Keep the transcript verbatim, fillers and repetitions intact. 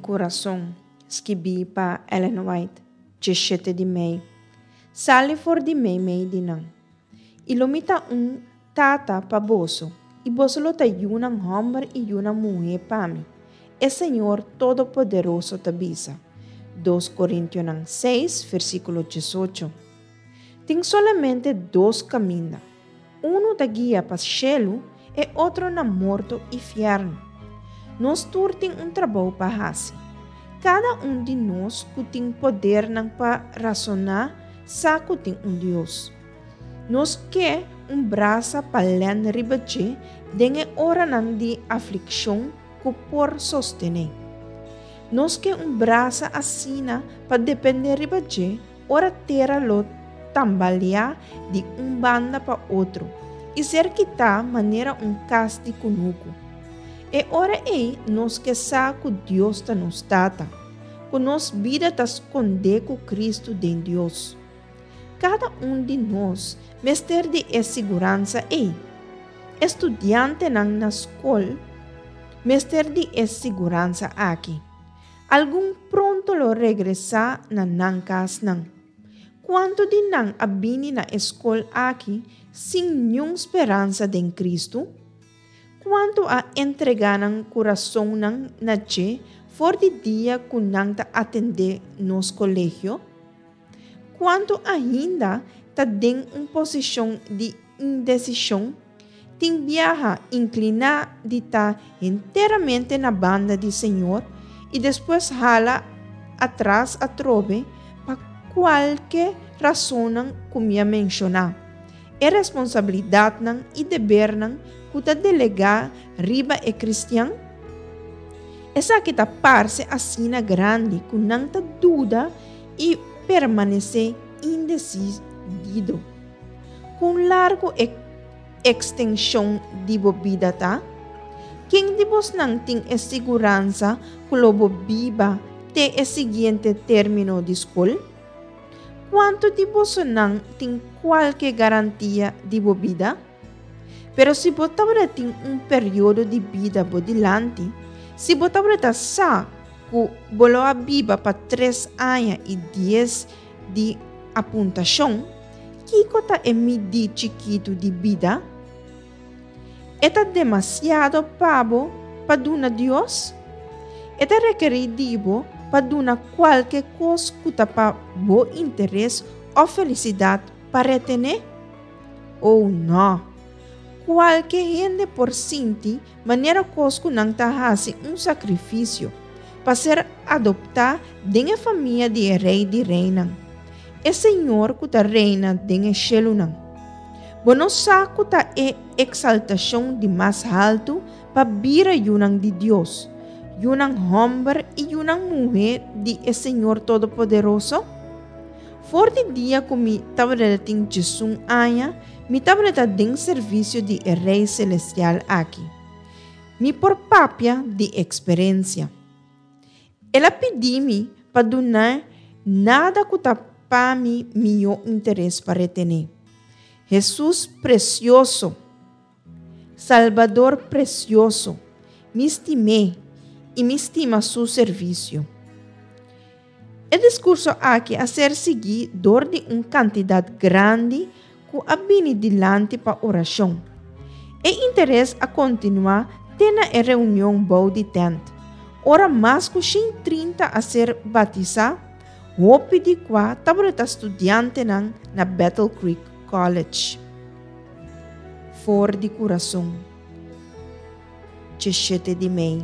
kurason, skibí pa Ellen White, diesshete di mei. Sali for di meimei di nan, i lo mi ta un tata pa boso, i boso lo ta yunan hòmber i yunan muhé pa mi, e Señor Todopoderoso ta bisa. Dos Korintionan seis, versíkulo diesocho. Tin solamente dos kaminda. Unu ta guia pa shelu, e otro na morto i fièrnu. Nos tur tin un trabou pa hasi. Kada un di nos ku tin podernan pa rasoná sa ku tin un Dios. Nos ke un brasa pa lèn riba dje den e oranan di aflikshon ku por sostené. Nos ke un brasa asina pa dependé riba dje ora tera lo tambaleá di un banda pa otro i ser kitá manera un kas di kunuku. E ora ei nos ke sa ku Dios ta nos Tata, ku nos bida ta skondé ku Kristu den Dios. Kada un di nos mester di e siguransa ei. E studiantenan na skol mester di e siguransa aki. Algun pronto lo regresá na nan kasnan. Kuantu di nan a bini na e skol aki sin niun speransa den Kristu? Kuantu a entregá nan kurasonnan na dje for di dia ku nan ta atendé nos kolegio? Kuantu ainda ta den un posishon di indesishon, tin biaha inkliná di ta enteramente na banda di Señor i despues hala atras atrobe pa kualke rasonnan ku mi a menshoná? E responsabilidatnan i debernan ku ta delegá riba e kristian? Esaki ta parse asina grandi ku nan ta duda i permanesé indesidido. Kon largu e ekstenshon di bo bida ta? Ken di bosnan tin e siguransa ku lo bo biba te e siguiente término di skol? Kuantu di bosonan tin kualke garantia di bo bida? Pero si bo tabatin un periodo di bida bo dilanti, si bo tabata sa ku bo lo a biba pa tres aña i dies di apuntashon, kiko ta e midí chikitu di bida? E ta demasiado pa bo pa duna Dios? E ta rekerí di bo pa duna kualke kos ku ta pa bo interes òf felisidat pa retené? Oh no! Kualke hende por sinti manera kos ku nan ta hasi un sakrifisio pa ser adoptá den e famia di e Rei di reinan, e Señor ku ta reina den e shelunan. Bo no sa ku ta e eksaltashon di mas haltu pa bira yunan di Dios, yunan hòmber i yunan muhé di e Señor Todopoderoso? For di dia ku mi tabatin diesun aña, mi tabata den servisio di e Rei Selestial aki. Mi por papia di eksperensia. El a pidi mi pa duna nada ku ta pa mi mihó interes pa retené. Hesus presioso, Salbador presioso, mi stim'é i mi stima su servisio. E diskurso aki a ser siguí dor di un kantidat grandi ku a bini dilanti pa orashon. E interes a kontinuá te na e reunion bou di tènt. Ora mas ku shen trinta a ser batisá, hopi di kua tabata studiantenan na Battle Creek College. For di kurason. Diesshete di mei.